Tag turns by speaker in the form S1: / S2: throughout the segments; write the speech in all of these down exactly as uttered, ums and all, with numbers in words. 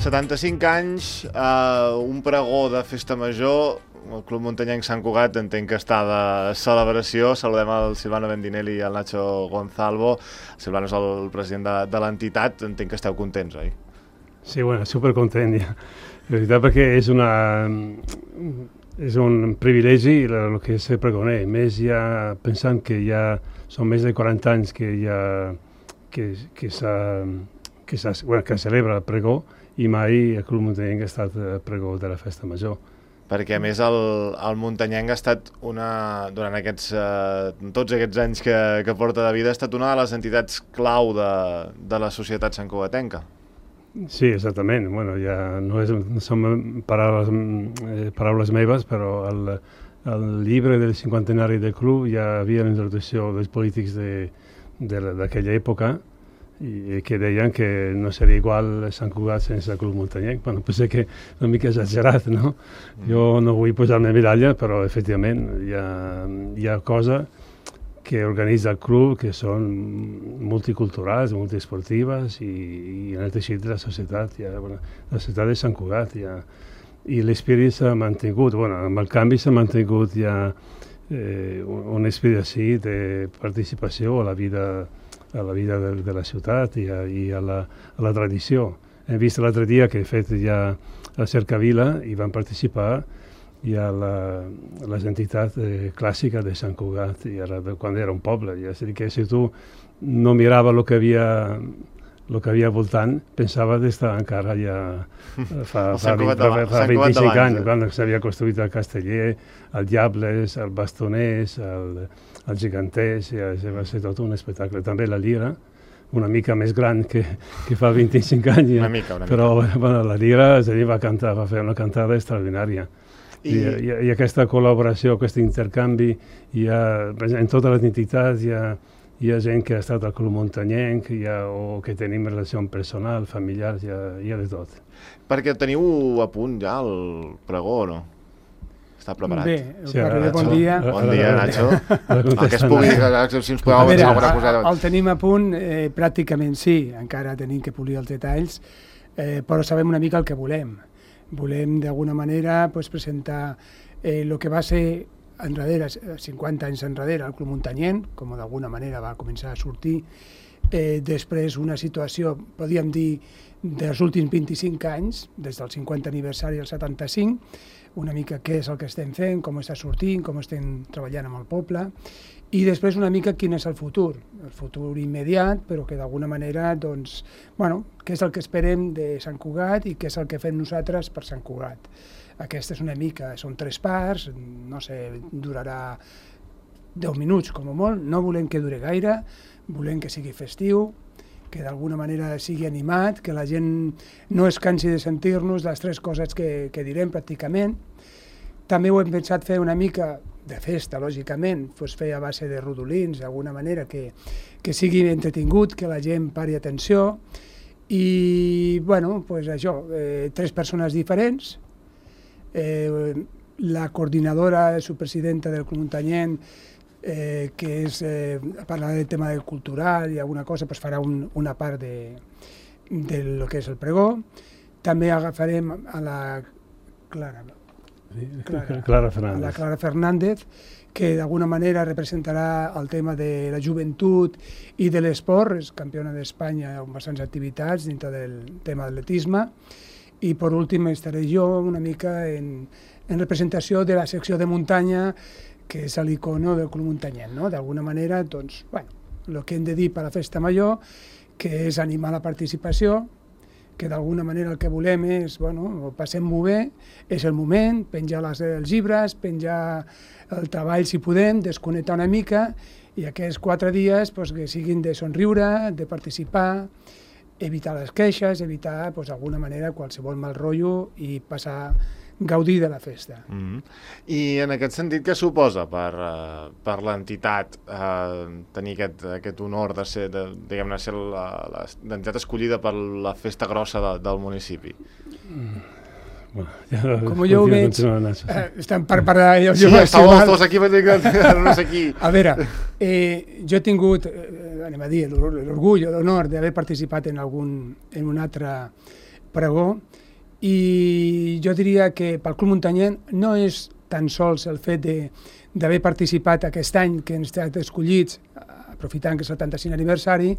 S1: setanta-cinc anys, eh, un pregó de festa major, el Club Muntanyenc Sant Cugat entenc que està de celebració. Saludem el Silvano Bendinelli i el Nacho Gonzalvo. El Silvano és el president de, de l'entitat, entenc que esteu contents, oi?
S2: Sí, bueno, supercontent, ja. La veritat, perquè és una... és un privilegi el que és ser pregoner, més ja pensant que ja són més de quaranta anys que ja que, que s'ha que, bueno, que celebra el pregó i mai el Club Muntanyenc ha estat pregó de la festa major.
S1: Perquè, a més, el, el Muntanyenc ha estat una, durant aquests, eh, tots aquests anys que, que porta de vida, ha estat una de les entitats clau de, de la societat santcugatenca.
S2: Sí, exactament. Bueno, ja no, és, no són paraules, eh, paraules meves, però el, el llibre del cinquantenari del club ja havia la introducció dels polítics d'aquella època i que deien que no seria igual Sant Cugat sense el Club Muntanyenc. Bueno, potser que una mica exagerat, no? Mm. Jo no vull posar-me medalla, però efectivament hi ha, hi ha coses que organitza el club que són multiculturals, multiesportives i, i en el teixit de la societat, ja, bueno, la societat de Sant Cugat. Ja, i l'espírit s'ha mantingut, bueno, amb el canvi s'ha mantingut ja eh, un, un espírit així de participació a la vida a la vida de, de la ciutat i a, i a, la, a la tradició. Hem vist l'altre dia que he fet ja a Cercavila i van participar ja la, les entitats eh, clàssiques de Sant Cugat, i ara, quan era un poble. Ja, és a dir, que si tu no mirava el que havia el que havia voltant, pensava d'estar encara ja fa, fa, vint, fa, fa vint-i-cinc anys, eh? Quan s'havia construït el Casteller, el Diables, el Bastoners, el, el Giganters, ja, va ser tot un espectacle. També la Lira, una mica més gran que, que fa vint-i-cinc anys, ja.
S1: Una mica, una mica.
S2: Però bueno, la Lira és a dir, va, cantar, va fer una cantada extraordinària. I... I, i, i aquesta col·laboració, aquest intercanvi, ha, en totes les entitats hi ha, hi ha gent que ha estat al Club Muntanyenc ha, o que tenim relació personal, familiar, hi ha, hi ha de tot.
S1: Perquè teniu a punt ja el pregó, o no? Està preparat?
S3: Bé, sí, ara, ara, bon dia.
S1: Bon dia, Nacho. El que es pugui, si ens podeu avançar alguna cosa.
S3: El tenim a punt, eh, pràcticament sí, encara tenim que polir els detalls, eh, però sabem una mica el que volem. Volem, d'alguna manera, pues, presentar el eh, que va ser enrere, cinquanta anys enrere, el Club Muntanyenc, com d'alguna manera va començar a sortir, eh, després una situació, podríem dir, dels últims vint-i-cinc anys, des del cinquanta aniversari al setanta-cinc, una mica què és el que estem fent, com està sortint, com estem treballant amb el poble, i després una mica quin és el futur, el futur immediat, però que d'alguna manera, doncs, bueno, què és el que esperem de Sant Cugat i què és el que fem nosaltres per Sant Cugat. Aquesta és una mica, són tres parts, no sé, durarà deu minuts com a molt, no volem que dure gaire, volem que sigui festiu, que d'alguna manera sigui animat, que la gent no es cansi de sentir-nos les tres coses que, que direm pràcticament. També ho hem pensat fer una mica de festa, lògicament, pues fer a base de rodolins, d'alguna manera, que, que sigui entretingut, que la gent pari atenció. I, bueno, pues això, eh, tres persones diferents. Eh, la coordinadora, subpresidenta del Club Muntanyenc, eh, que és, eh, parlarà del tema del cultural i alguna cosa, pues farà un, una part de, de lo que és el pregó. També agafarem a la Clara,
S2: Clara, Clara Fernández,
S3: a la Clara Fernández, que d'alguna manera representarà el tema de la joventut i de l'esport, és campiona d'Espanya amb bastants activitats dintre del tema de l'atletisme. I per últim estaré jo una mica en, en representació de la secció de muntanya, que és l'icono del Club Muntanyenc, no? D'alguna manera, doncs, bueno, el que hem de dir per la festa major, que és animar la participació, que d'alguna manera el que volem és, bueno, ho passem-ho bé, és el moment, penjar les, els llibres, penjar el treball si podem, desconnectar una mica, i aquests quatre dies pues, que siguin de somriure, de participar, evitar les queixes, evitar pues, d'alguna manera qualsevol mal rotllo i passar gaudir de la festa.
S1: Mm-hmm. I en aquest sentit, què suposa per, uh, per l'entitat uh, tenir aquest, aquest honor de ser, de, diguem-ne, ser l'entitat escollida per la festa grossa de, del municipi?
S2: Mm. Bueno, ja,
S3: com jo ho veig, eh, estem per parlar... Jo,
S1: sí, estàveu els dos aquí, però no sé qui.
S3: A veure, eh, jo he tingut, eh, anem a dir, l'orgull o l'honor d'haver participat en algun en un altre pregó, I jo diria que pel Club Muntanyenc no és tan sols el fet d'haver participat aquest any que hem estat escollits, aprofitant que és el setanta-cinquè aniversari,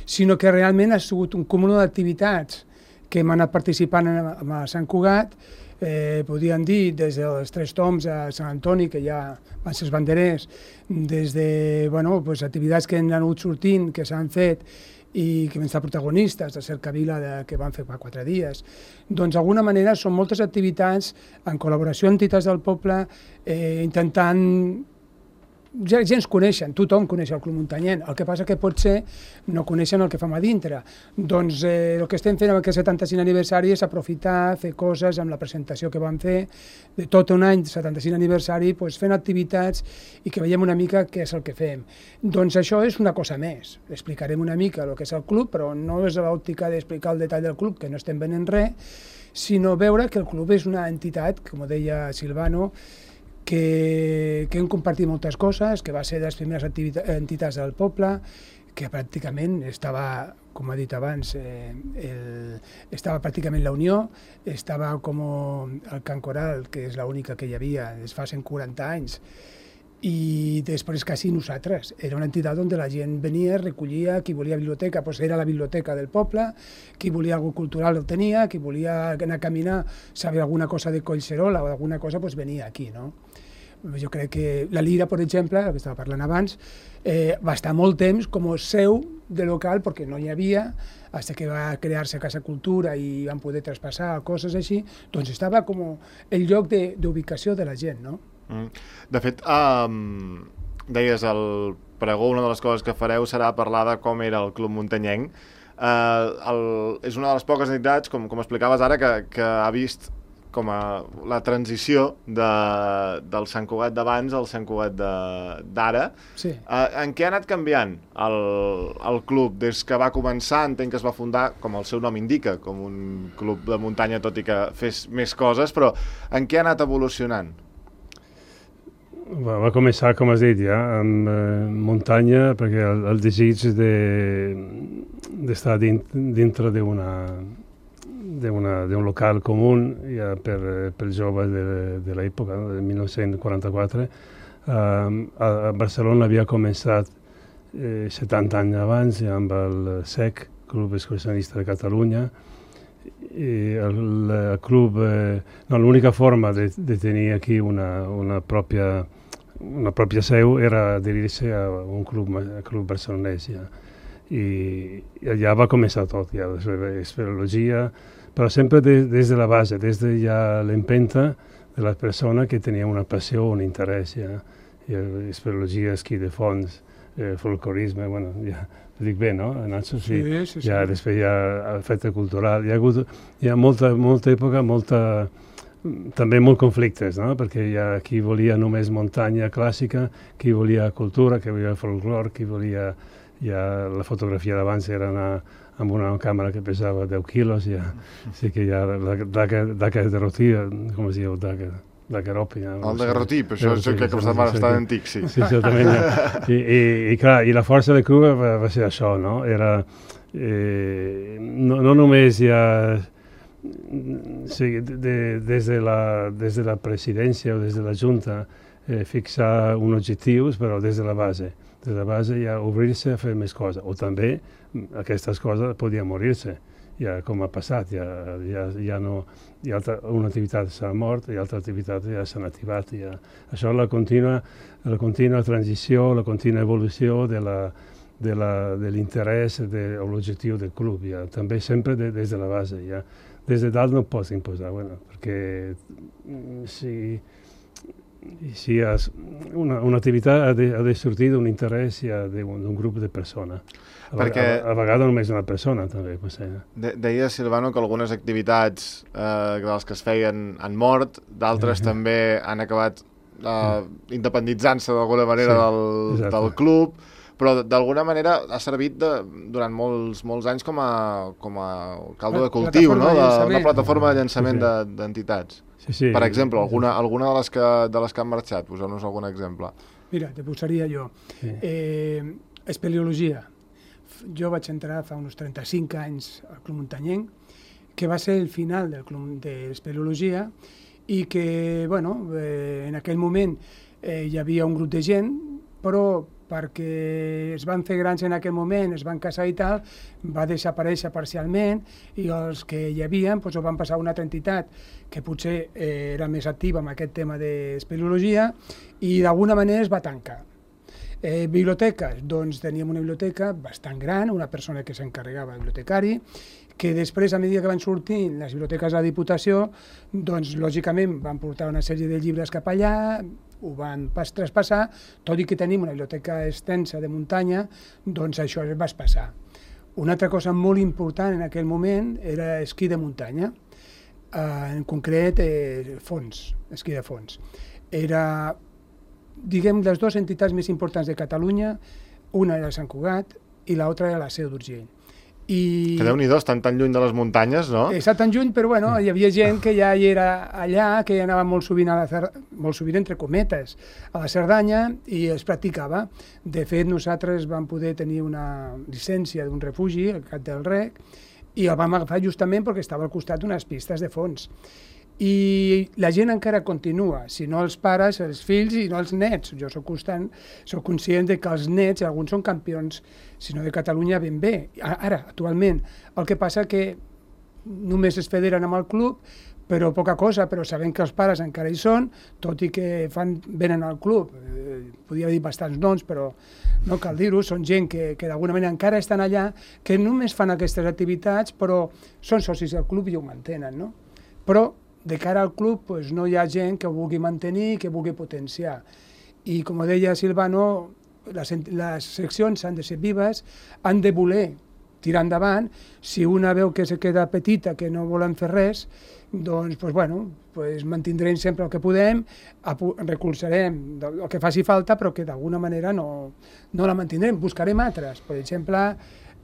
S3: sinó que realment ha sigut un cúmul d'activitats que hem anat participant a Sant Cugat, eh, podríem dir des dels Tres Tombs a Sant Antoni, que ja van ser els banderers, des de bueno, pues, activitats que han anat sortint, que s'han fet, i que vam estar protagonistes de Cercavila de, que van fer fa quatre dies. Doncs d'alguna manera són moltes activitats en col·laboració amb entitats del poble, eh, intentant... Ja, ja ens coneixen, tothom coneix el Club Muntanyenc, el que passa que potser no coneixen el que fem a dintre. Doncs eh, el que estem fent amb aquest setanta-cinquè aniversari és aprofitar, fer coses amb la presentació que vam fer de tot un any, setanta-cinquè aniversari, doncs fent activitats i que veiem una mica què és el que fem. Doncs això és una cosa més. Explicarem una mica el que és el club, però no és l'òptica d'explicar el detall del club, que no estem venent res, sinó veure que el club és una entitat, com deia Silvano, que, que hem compartit moltes coses, que va ser de les primeres entitats del poble, que pràcticament estava, com ha dit abans, eh, el, estava pràcticament la Unió, estava com el Can Coral, que és l'única que hi havia des fa cent quaranta anys, i després quasi nosaltres. Era una entitat on la gent venia, recollia, qui volia biblioteca, doncs era la biblioteca del poble, qui volia alguna cultural el tenia, qui volia anar a caminar, saber alguna cosa de Collserola o alguna cosa, doncs venia aquí, no? Jo crec que la Lira, per exemple, el que estava parlant abans, eh, va estar molt temps com a seu de local, perquè no hi havia, fins que va crear-se Casa Cultura i van poder traspassar coses així, doncs estava com el lloc d'ubicació de la gent, no?
S1: Mm. De fet, um, deies, el pregó, una de les coses que fareu serà parlar de com era el Club Muntanyenc. Uh, el, és una de les poques entitats, com, com explicaves ara, que, que ha vist com a la transició de, del Sant Cugat d'abans al Sant Cugat d'ara.
S3: Sí.
S1: Uh, en què ha anat canviant el, el club des que va començar? Entenc que es va fundar, com el seu nom indica, com un club de muntanya, tot i que fes més coses, però en què ha anat evolucionant?
S2: Va, va començar, com has dit, ja, amb eh, muntanya, perquè el, el desig d'estar de, dintre d'una d'un local comú ja per, per joves de, de l'època, no? de mil nou-cents quaranta-quatre. Um, a, a Barcelona havia començat eh, setanta anys abans ja amb el S E C, Club Excursionista de Catalunya. I el, el club, eh, no, l'única forma de, de tenir aquí una, una, pròpia, una pròpia seu era adherir-se a un club, a club barcelonès. Ja. I, i allà va començar tot, ja, l'esferologia, però sempre de, des de la base, des de ja l'empenta de la persona que tenia una passió, un interès, ja, i l'esferologia, esquí de fons, eh, folclorisme, bueno, ja ho dic bé, no, Nacho?
S3: Sí, sí, sí.
S2: Ja, després hi ha festa cultural, hi ha hagut hi ha molta, molta època, molta, també molt conflictes, no? Perquè hi ha qui volia només muntanya clàssica, qui volia cultura, qui volia folclor, qui volia... Ja la fotografia d'abans era anar amb una càmera que pesava deu quilos, ja, sí que ja la daguerrotí, com es diu, daguerropi. Ja,
S1: el daguerrotip, això és el que costat bastant antic, sí.
S2: Sí, certament. I, i, i clar, i la força de Cuba va, va ser això, no? Era, eh, no, no només ja, sí, de, des, de la, des de la presidència o des de la Junta eh, fixar uns objectius, però des de la base. Des de la base ja obrir-se a fer més coses, o també aquestes coses podien morir-se, ja com ha passat, ja, ja, ja no, hi ha altra, una activitat s'ha mort i altra activitat ja s'ha activat. Ja. Això la contínua, la contínua transició, la contínua evolució de la, de la, de l'interès de, o l'objectiu del club, ja. També sempre de, des de la base. Ja. Des de dalt no pots imposar, bueno, perquè si... si has, una, una activitat ha de, ha de sortir d'un interès ja d'un grup de persones. A, Perquè, a, a vegades només una persona, també.
S1: De, deia Silvano que algunes activitats eh, de les que es feien han mort, d'altres uh -huh. també han acabat eh, uh. independitzant-se d'alguna manera sí, del, del club, però d'alguna manera ha servit de, durant molts, molts anys com a, com a caldo de cultiu, no? De, una plataforma de llançament sí, sí. d'entitats.
S2: Sí, sí.
S1: Per exemple, alguna, alguna de, les que, de les que han marxat, poseu-nos algun exemple.
S3: Mira, te posaria jo. Sí. Eh, espeleologia. Jo vaig entrar fa uns trenta-cinc anys al Club Muntanyenc, que va ser el final del club d'espeleologia i que, bueno, eh, en aquell moment eh, hi havia un grup de gent, però perquè es van fer grans en aquell moment, es van casar i tal, va desaparèixer parcialment i els que hi havia doncs, ho van passar a una altra entitat que potser eh, era més activa amb aquest tema d'espeleologia i d'alguna manera es va tancar. Eh, biblioteques, doncs teníem una biblioteca bastant gran, una persona que s'encarregava de bibliotecari, que després, a mesura que van sortint les biblioteques de la Diputació, doncs lògicament van portar una sèrie de llibres cap allà, ho van pas traspassar, tot i que tenim una biblioteca extensa de muntanya, doncs això es va passar. Una altra cosa molt important en aquell moment era esquí de muntanya, eh, en concret eh, fons, esquí de fons. Era, diguem, les dues entitats més importants de Catalunya, una era Sant Cugat i l'altra era la Seu d'Urgell.
S1: I... Que Déu-n'hi-do, estan tan lluny de les muntanyes, no?
S3: Està tan lluny, però bueno, hi havia gent que ja hi era allà, que ja anava molt sovint, a la Cer... molt sovint entre cometes, a la Cerdanya, i es practicava. De fet, nosaltres vam poder tenir una llicència d'un refugi, al Cap del Rec, i el vam agafar justament perquè estava al costat d'unes pistes de fons. I la gent encara continua, si no els pares, els fills i no els nets. Jo soc constant, soc conscient de que els nets, alguns són campions, si no de Catalunya, ben bé. Ara, actualment, el que passa que només es federen amb el club, però poca cosa, però sabem que els pares encara hi són, tot i que fan, venen al club. Eh, podria dir bastants noms, però no cal dir-ho, són gent que, que d'alguna manera encara estan allà, que només fan aquestes activitats, però són socis del club i ho mantenen, no? Però de cara al club pues, no hi ha gent que ho vulgui mantenir i que vulgui potenciar. I com deia Silvano, les, les seccions han de ser vives, han de voler tirar endavant. Si una veu que se queda petita, que no volen fer res, doncs pues, bueno, pues, mantindrem sempre el que podem, recolzarem el que faci falta, però que d'alguna manera no, no la mantindrem. Buscarem altres. Per exemple,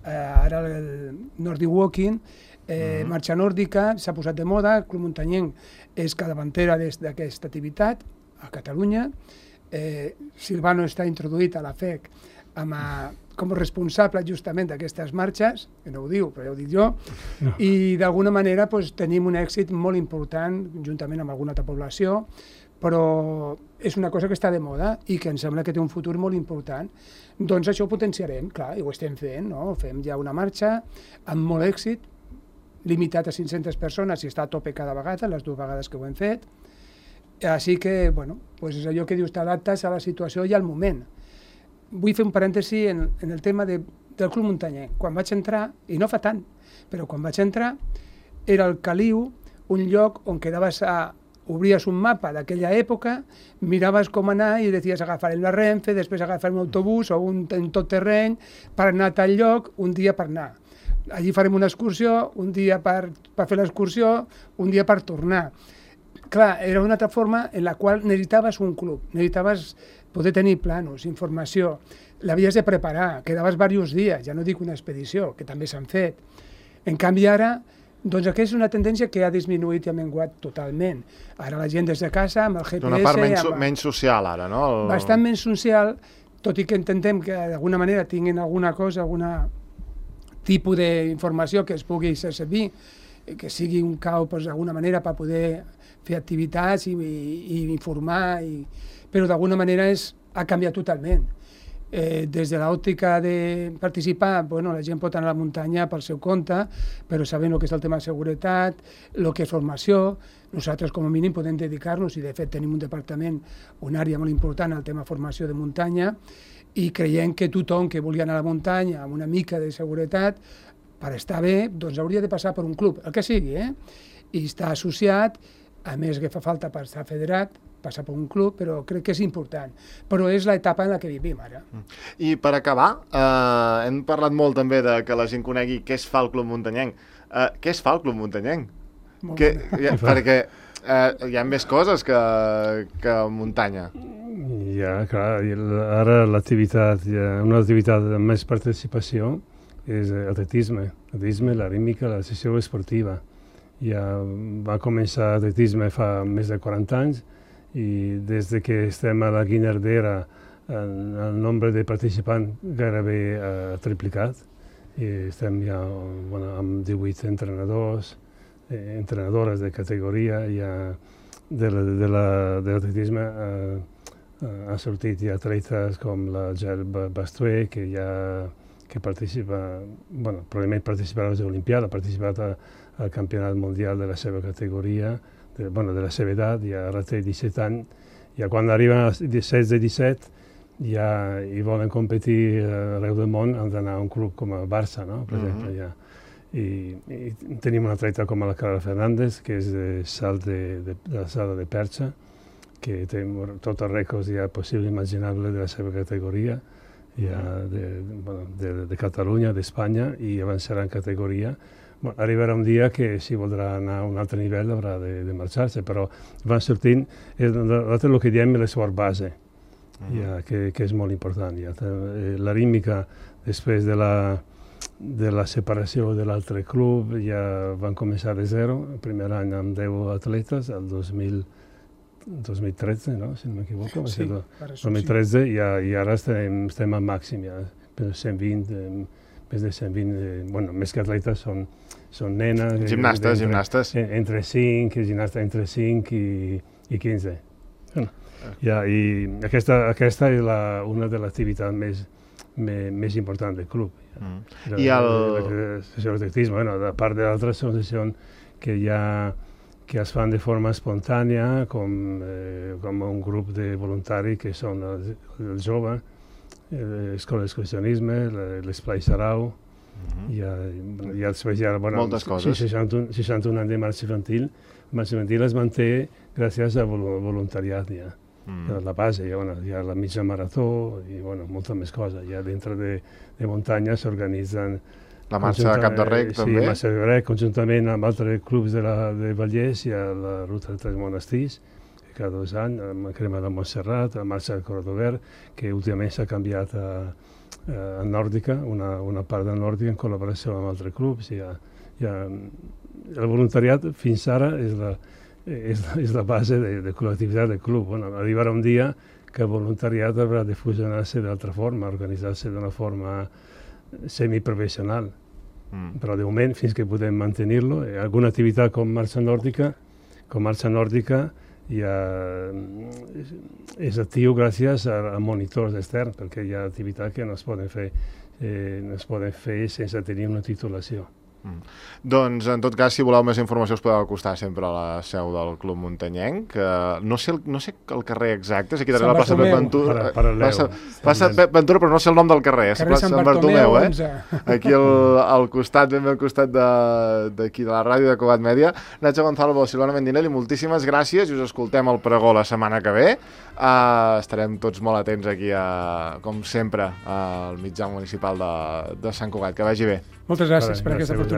S3: eh, ara el Nordic Walking, Eh, uh-huh. Marxa nòrdica, s'ha posat de moda, el Club Muntanyenc és capdavantera d'aquesta activitat a Catalunya. Eh, Silvano està introduït a la F E C amb a, com a responsable justament d'aquestes marxes, que no ho diu, però ja ho dic jo, no. I d'alguna manera pues, tenim un èxit molt important, juntament amb alguna altra població, però és una cosa que està de moda i que em sembla que té un futur molt important. Doncs això ho potenciarem, clar, i ho estem fent, no? Fem ja una marxa amb molt èxit, limitat a cinc-centes persones i està a tope cada vegada, les dues vegades que ho hem fet. Així que, bueno, pues és allò que dius, t'adaptes a la situació i al moment. Vull fer un parèntesi en, en el tema de, del Club Muntanyenc. Quan vaig entrar, i no fa tant, però quan vaig entrar, era el Caliu, un lloc on quedaves a... obries un mapa d'aquella època, miraves com anar i dius agafarem la Renfe, després agafarem un autobús o un tot terreny per anar a tal lloc, un dia per anar. Allí farem una excursió, un dia per, per fer l'excursió, un dia per tornar. Clar, era una altra forma en la qual necessitaves un club, necessitaves poder tenir planos, informació, l'havies de preparar, quedaves diversos dies, ja no dic una expedició, que també s'han fet. En canvi ara, doncs aquesta és una tendència que ha disminuït i ha menguat totalment. Ara la gent des de casa, amb el G P S...
S1: Una part menys,
S3: amb...
S1: menys social ara, no? El...
S3: Bastant menys social, tot i que intentem que d'alguna manera tinguin alguna cosa, alguna tipus d'informació que es pugui fer servir, que sigui un cau d'alguna manera per poder fer activitats i, i, i informar, i... però d'alguna manera és, ha canviat totalment. Eh, des de l'òptica de participar, bueno, la gent pot anar a la muntanya pel seu compte, però sabent el que és el tema de seguretat, el que és formació, nosaltres com a mínim podem dedicar-nos, i de fet tenim un departament, una àrea molt important al tema formació de muntanya, i creiem que tothom que vulgui anar a la muntanya amb una mica de seguretat, per estar bé, doncs hauria de passar per un club, el que sigui, eh? I estar associat, a més que fa falta per estar federat, passar per un club, però crec que és important. Però és l'etapa en la que vivim ara.
S1: I per acabar, eh, hem parlat molt també de que la gent conegui què es fa al Club Muntanyenc. Eh, què es fa al Club Muntanyenc? Que, ja, perquè eh, hi ha més coses que, que muntanya.
S2: Ja, clar, ara l'activitat, una activitat amb més participació és atletisme, atletisme, la rítmica, la sessió esportiva. Ja va començar atletisme fa més de quaranta anys i des que estem a la Guinardera el nombre de participants gairebé ha triplicat i estem ja bueno, amb divuit entrenadors, eh, entrenadores de categoria, ja de l'atletisme eh, ha sortit ja atletes com la Gel Bastué, que ja que participa, bueno, probablement participarà a les Olimpiades, ha participat a, al campionat mundial de la seva categoria, de, bueno, de la seva edat, ja ara té disset anys, ja quan arriben als setze disset ja hi volen competir arreu del món, han d'anar a un club com el Barça, no? Per exemple, ja. I, i tenim una atleta com la Carla Fernández, que és de salt de, de, de la sala de perxa, que té tots els rècords ja possible i imaginable de la seva categoria, ja de, bueno, de, de Catalunya, d'Espanya, i avançarà en categoria. Bueno, arribarà un dia que si voldrà anar a un altre nivell haurà de, de marxar-se, però van sortint, nosaltres el que diem és l'esport base, uh-huh. ja, que, que és molt important. Ja. La rítmica, després de la de la separació de l'altre club, ja van començar de zero, el primer any amb deu atletes, el dos mil tretze, no? Si no m'equivoco,
S3: sí,
S2: el dos mil tretze, i, i ara estem, estem al màxim, ja, cent vint, més de cent vint, bueno, més que atletes són, són nenes.
S1: Gimnastes,
S2: entre,
S1: gimnastes.
S2: Entre cinc, gimnastes entre cinc i, i quinze. Bueno, ja, i aquesta, aquesta és la, una de les activitats més, més, més importants del club.
S1: Mm.
S2: La,
S1: I el...
S2: l'atletisme, bueno, a part d'altres associacions que ja que es fan de forma espontània, com, eh, com un grup de voluntaris que són els, els joves, l'escola d'excursionisme, l'esplai Sarau, mm-hmm. i, ja, i després hi ha bueno,
S1: moltes coses.
S2: seixanta-un, seixanta-un anys de marxa infantil. La marxa infantil es manté gràcies al voluntariat, ja. Mm. La base, hi ha, bueno, hi ha la mitja marató i bueno, moltes més coses. Ja dintre de, de muntanya s'organitzen...
S1: La marxa de Cap de Rec,
S2: sí,
S1: també?
S2: Sí, marxa de Rec, conjuntament amb altres clubs de, la, de Vallès, hi ha la ruta de Tres Monestirs, que cada dos anys, la crema de Montserrat, la marxa del Cordovert, que últimament s'ha canviat a, a Nòrdica, una, una part de Nòrdica en col·laboració amb altres clubs. Hi ha, hi ha, el voluntariat fins ara és la, és, és la base de, de col·lectivitat del club. Bueno, arribarà un dia que el voluntariat haurà de fusionar-se d'altra forma, organitzar-se d'una forma semiprofessional. Mm. Però de moment, fins que podem mantenir-lo, alguna activitat com marxa nòrdica, com marxa nòrdica ja és actiu gràcies a, a monitors externs, perquè hi ha activitats que no es poden fer, eh, no es poden fer sense tenir una titulació.
S1: Mm. Doncs, en tot cas, si voleu més informació us podeu acostar sempre a la seu del Club Muntanyenc. Uh, no, sé el, no sé el carrer exacte, és aquí darrere la plaça Pep Ventura, plaça, plaça Pep Ventura, però no sé el nom del carrer, és plaça Sant Bartomeu, eh? Aquí al, al costat, ben bé al costat d'aquí de, de la ràdio de Cugat Mèdia. Nacho Gonzalvo, Silvana Mendinelli, moltíssimes gràcies i us escoltem al pregó la setmana que ve. Uh, estarem tots molt atents aquí, a, com sempre, al mitjà municipal de, de Sant Cugat. Que vagi bé.
S3: Moltes gràcies per aquesta oportunitat.